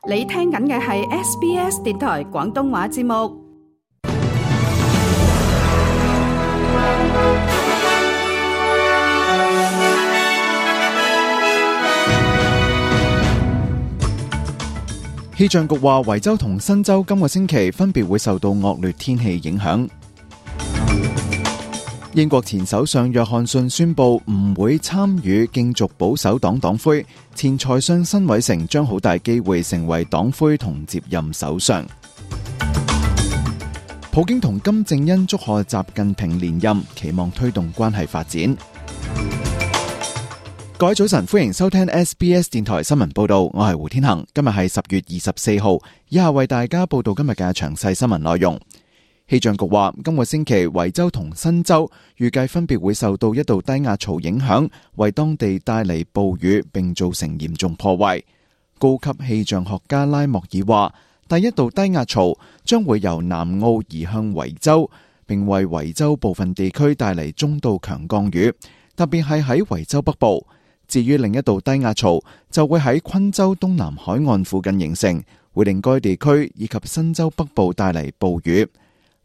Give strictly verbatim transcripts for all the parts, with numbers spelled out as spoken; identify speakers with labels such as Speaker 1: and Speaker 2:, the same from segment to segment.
Speaker 1: 你聽緊嘅係 S B S 電台廣東話節目。
Speaker 2: 氣象局話，維州同新州今個星期分別會受到惡劣天氣影響。英國前首相約翰遜宣布唔會參與競逐保守黨黨魁，前財相辛偉誠將好大機會成為黨魁同接任首相。普京同金正恩祝賀習近平連任，期望推動關係發展。各位早晨，歡迎收聽 S B S 電台新聞報道，我係胡天恒。今日係十月二十四號，以下為大家報道今日嘅詳細新聞內容。氣象局話，今個星期維州同新州預計分別會受到一道低壓槽影響，為當地帶嚟暴雨並造成嚴重破壞。高級氣象學家拉莫爾話，第一道低壓槽將會由南澳移向維州，並為維州部分地區帶嚟中到強降雨，特別係喺維州北部。至於另一道低壓槽就會喺昆州東南海岸附近形成，會令該地區以及新州北部帶嚟暴雨。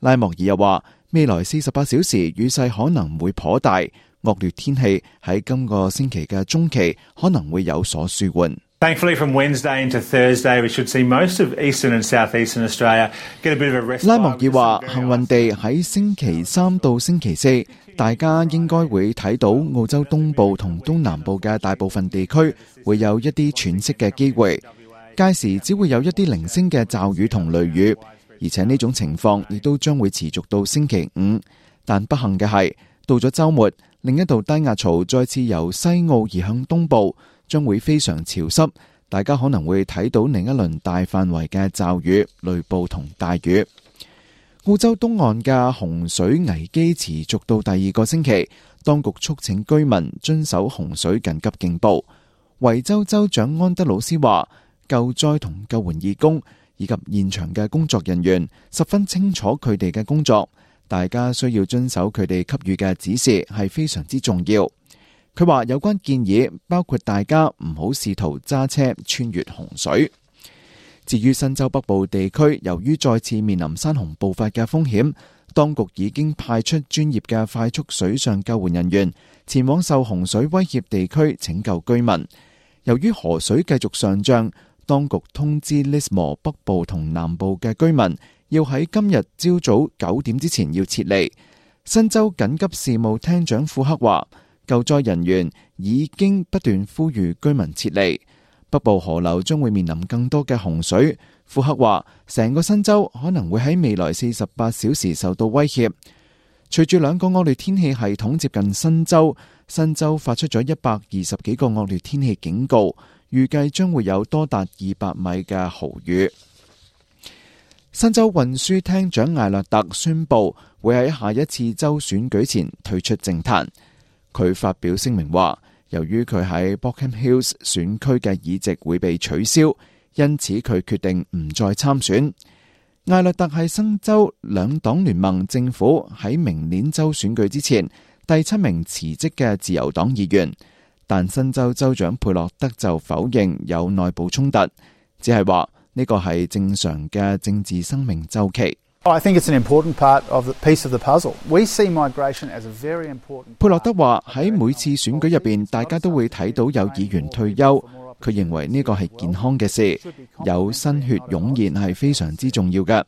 Speaker 2: 拉莫爾又話，未來四十八小時雨勢可能會頗大，惡劣天氣喺今個星期嘅中期可能會有所舒緩。
Speaker 3: Thankfully, from Wednesday into Thursday, we should see most of eastern and southeastern Australia get a bit of a respite.
Speaker 2: 拉莫爾話，幸運地喺星期三到星期四，大家應該會睇到澳洲東部同東南部嘅大部分地區會有一啲喘息嘅機會，屆時只會有一啲零星嘅驟雨同雷雨，而且呢種情況亦都將會持續到星期五。但不幸嘅係，到咗週末，另一道低壓槽再次由西澳移向東部，將會非常潮濕，大家可能會睇到另一輪大範圍嘅驟雨、雷暴同大雨。澳洲東岸嘅洪水危機持續到第二個星期，當局促請居民遵守洪水緊急警報。維州州長安德魯斯話，救災同救援義工以及現場嘅工作人員十分清楚佢哋嘅工作，大家需要遵守佢哋給予嘅指示係非常之重要。佢話有關建議包括大家唔好試圖揸車穿越洪水。至於新州北部地區，由於再次面臨山洪暴發嘅風險，當局已經派出專業嘅快速水上救援人員前往受洪水威脅地區拯救居民。由於河水繼續上漲，當局通知 Lismore 北部同南部嘅居民要喺今日朝早九點之前要撤離。新州緊急事務廳長庫克話，救災人員已經不斷呼籲居民撤離。北部河流將會面臨更多嘅洪水。庫克話，成個新州可能會喺未來四十八小時受到威脅。隨住兩個惡劣天氣系統接近新州，新州發出咗一百二十幾個惡劣天氣警告，預計將會有多達二百米嘅豪雨。新州運輸廳長艾略特宣布會喺下一次州選舉前退出政壇。佢發表聲明話，由於佢喺 Bockham Hills 選區嘅議席會被取消，因此佢決定唔再參選。艾略特係新州兩黨聯盟政府喺明年州選舉之前第七名辭職嘅自由黨議員，但新州州長佩洛德就否認有內部衝突，只係話呢個係正常嘅政治生命週期。
Speaker 4: I think it's an important part of the piece of the puzzle. We see migration as a very important.
Speaker 2: 佩洛德話喺每次選舉入邊，大家都會睇到有議員退休。佢認為呢個係健康嘅事，有新血湧現係非常之重要嘅。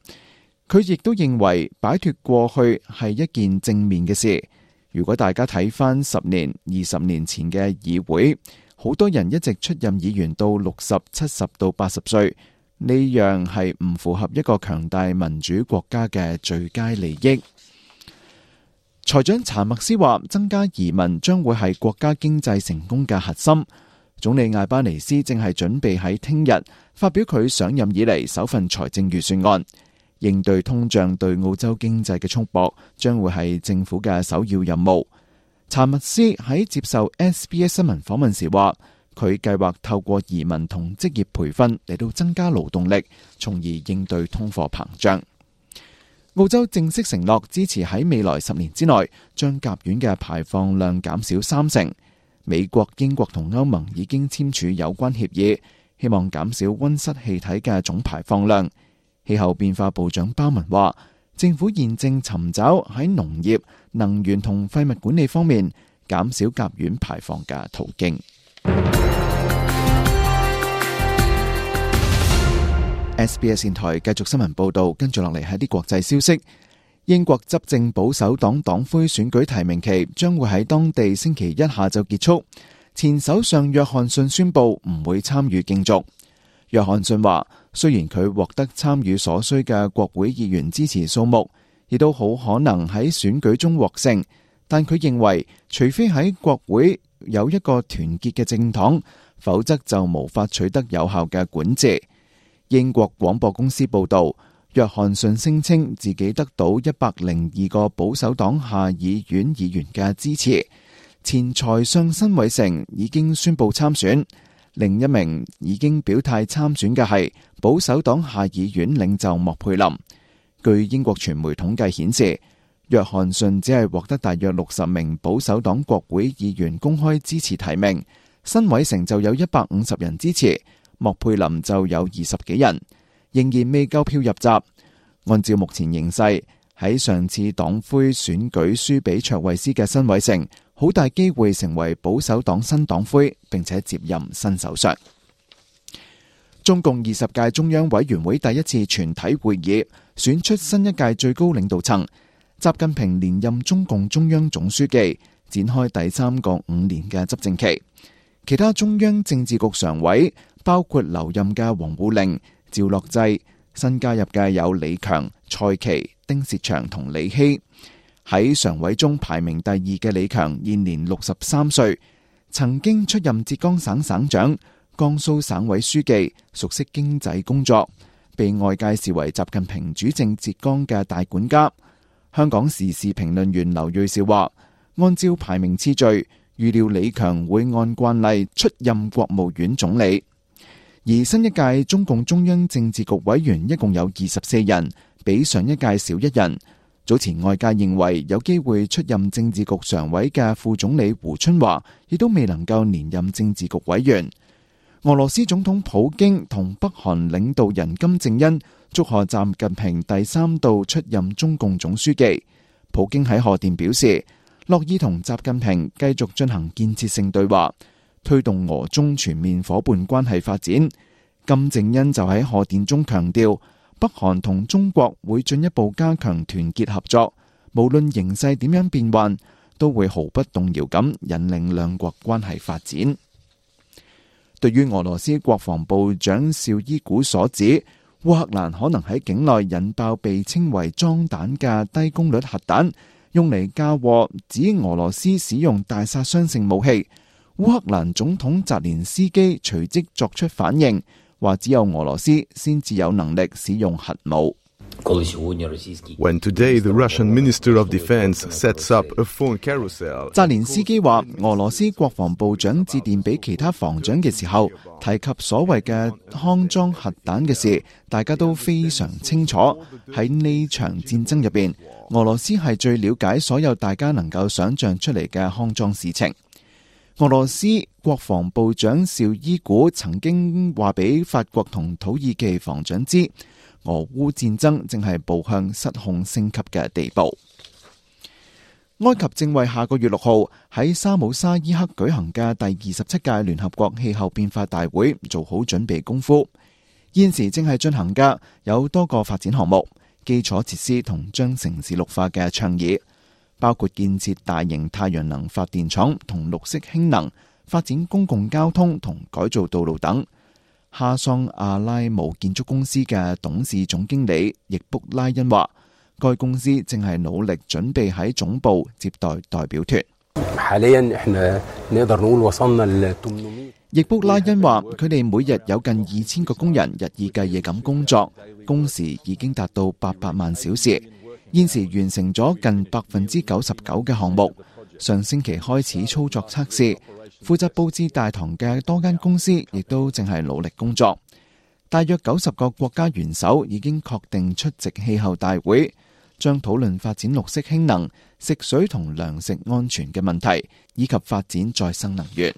Speaker 2: 佢亦都認為擺脫過去係一件正面嘅事。如果大家睇翻十年、二十年前嘅議會，好多人一直出任議員到六十、七十到八十歲。呢樣係唔符合一個強大民主國家嘅最佳利益。財長查默斯話，增加移民將會係國家經濟成功嘅核心。總理艾巴尼斯正係準備喺聽日發表佢上任以嚟首份財政預算案。應對通脹對澳洲經濟嘅束縛將會係政府嘅首要任務。查默斯喺接受 S B S 新聞訪問時話，佢計劃透過移民同職業培訓嚟到增加勞動力，從而應對通貨膨脹。澳洲正式承諾支持喺未來十年之內將甲烷嘅排放量減少三成。美國、英國同歐盟已經簽署有關協議，希望減少溫室氣體嘅總排放量。氣候變化部長鮑文話，政府現正尋找喺農業、能源同廢物管理方面減少甲烷排放嘅途徑。S B S 電台繼續新聞報道，跟住落嚟係啲國際消息。英國執政保守黨黨魁選舉提名期將會喺當地星期一下晝結束。前首相約翰遜宣布唔會參與競逐。約翰遜話，雖然佢獲得參與所需嘅國會議員支持數目，亦都好可能喺選舉中獲勝，但佢認為除非喺國會有一個團結嘅政黨，否則就無法取得有效嘅管治。英國廣播公司報道，約翰遜聲稱自己得到一百零二個保守黨下議院議員嘅支持。前財相辛偉誠已經宣布參選，另一名已經表態參選嘅係保守黨下議院領袖莫佩林。據英國傳媒統計顯示，約翰遜只係獲得大約六十名保守黨國會議員公開支持提名，辛偉誠就有一百五十人支持，莫佩林就有二十幾人，仍然未夠票入閘。按照目前形勢，喺上次黨魁選舉輸俾卓慧思嘅辛偉誠，好大機會成為保守黨新黨魁，並且接任新首相。中共二十屆中央委員會第一次全體會議選出新一屆最高領導層，習近平連任中共中央總書記，展開第三個五年嘅執政期。其他中央政治局常委包括留任嘅王滬寧、趙樂際，新加入嘅有李強、蔡奇、丁薛祥同李希。喺常委中排名第二嘅李強現年六十三歲，曾經出任浙江省省長、江蘇省委書記，熟悉經濟工作，被外界視為習近平主政浙江嘅大管家。香港時事評論員劉銳紹話，按照排名次序，預料李強會按慣例出任國務院總理。而新一屆中共中央政治局委員一共有二十四人，比上一屆少一人。早前外界認為有機會出任政治局常委嘅副總理胡春華，亦都未能夠連任政治局委員。俄羅斯總統普京同北韓領導人金正恩祝賀習近平第三度出任中共總書記。普京喺賀電表示，樂意同習近平繼續進行建設性對話，推動俄中全面夥伴關係發展。金正恩就喺賀電中強調，北韓同中國會進一步加強團結合作，無論形勢點樣變幻，都會毫不動搖咁引領兩國關係發展。對於俄羅斯國防部長紹伊古所指，烏克蘭可能喺境內引爆被稱為裝彈嘅低功率核彈，用嚟嫁禍指俄羅斯使用大殺傷性武器，烏克蘭總統澤連斯基隨即作出反應，話只有俄羅斯先至有能力使用核武。
Speaker 5: When today the Russian Minister of Defense sets up a phone carousel，
Speaker 2: 澤連斯基話，俄羅斯國防部長致電俾其他防長嘅時候，提及所謂嘅康裝核彈嘅事，大家都非常清楚。喺呢場戰爭入邊，俄羅斯係最了解所有大家能夠想象出嚟嘅康裝事情。俄羅斯國防部長紹伊古曾經話俾法國同土耳其防長知，俄烏戰爭正係步向失控升級嘅地步。埃及正為下個月六號喺沙姆沙伊克舉行嘅第二十七屆聯合國氣候變化大會做好準備功夫。現時正係進行嘅有多個發展項目、基礎設施同將城市綠化嘅倡議，包括建設大型太陽能發電廠同綠色氫能、發展公共交通同改造道路等。哈桑阿拉姆建築公司嘅董事總經理易卜拉恩話，該公司正係努力準備喺總部接待代表團。易卜拉恩話，佢哋每日有近二千個工人日以繼夜咁工作，工時已經達到八百萬小時，現時完成咗近百分之九十九嘅項目。上星期開始操作測試，負責佈置大堂嘅多間公司亦都正係努力工作。大約九十個國家元首已經確定出席氣候大會，將討論發展綠色氫能、食水同糧食安全嘅問題，以及發展再生能源。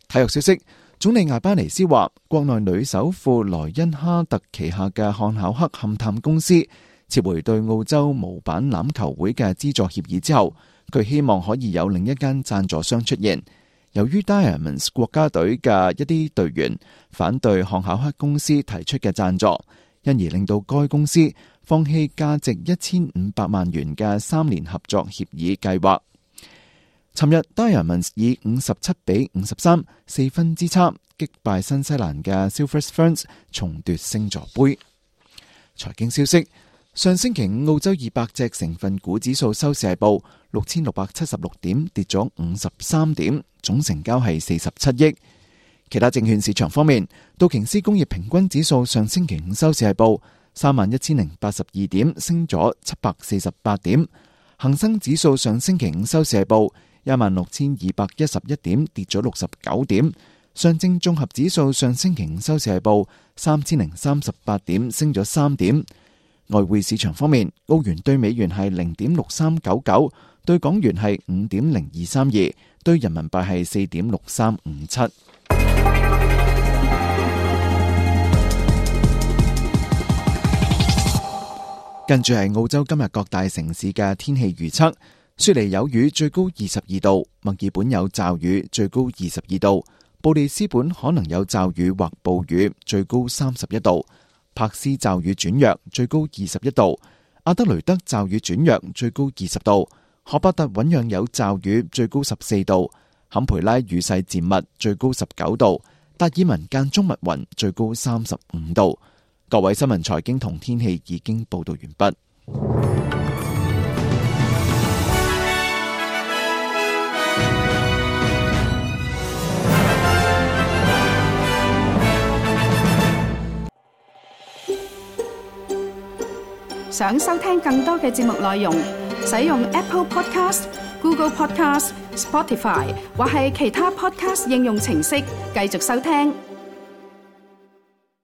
Speaker 2: 體育消息，總理艾巴尼斯話，國內女首富萊恩哈特旗下嘅漢考克勘探公司撤回對澳洲模板欖球會嘅資助協議之後，佢希望可以有另一間贊助商出現。由於 Diamonds 國家隊嘅一啲隊員反對漢考克公司提出嘅贊助，因而令到該公司放棄價值一千五百萬元嘅三年合作協議計劃。尋日 Diamonds 以五十七比五十三四分之差擊敗新西蘭嘅 Silver Ferns，重奪星座杯。財經消息：上星期五澳洲二百隻成分股指數收市係報六千六百七十六點，跌咗五十三點，總成交係四十七億。其他證券市場方面，道瓊斯工業平均指數上星期五收市係報三萬一千零八十二點，升咗七百四十八點。恒生指數上星期五收市係報一萬六千二百一十一點，跌咗六十九點。上證綜合指數上星期五收市係報三千零三十八點，升咗三點。外匯市場方面，澳元對美元係零點六三九九，對港元係五點零二三二，對人民幣係四點六三五七。跟住係澳洲今日各大城市嘅天氣預測。雪梨有雨，最高二十二度；墨爾本有驟雨，最高二十二度；布里斯本可能有驟雨或暴雨，最高三十一度；柏斯驟雨轉弱，最高二十一度；阿德雷德驟雨轉弱，最高二十度；荷伯特醞釀有驟雨，最高十四度；坎培拉雨勢漸密，最高十九度；達爾文間中密雲，最高三十五度。各位新聞財經同天氣已經報道完畢。
Speaker 1: 想收聽更多嘅節目內容，使用 Apple Podcast、Google Podcast、Spotify 或係其他 Podcast 應用程式繼續收聽。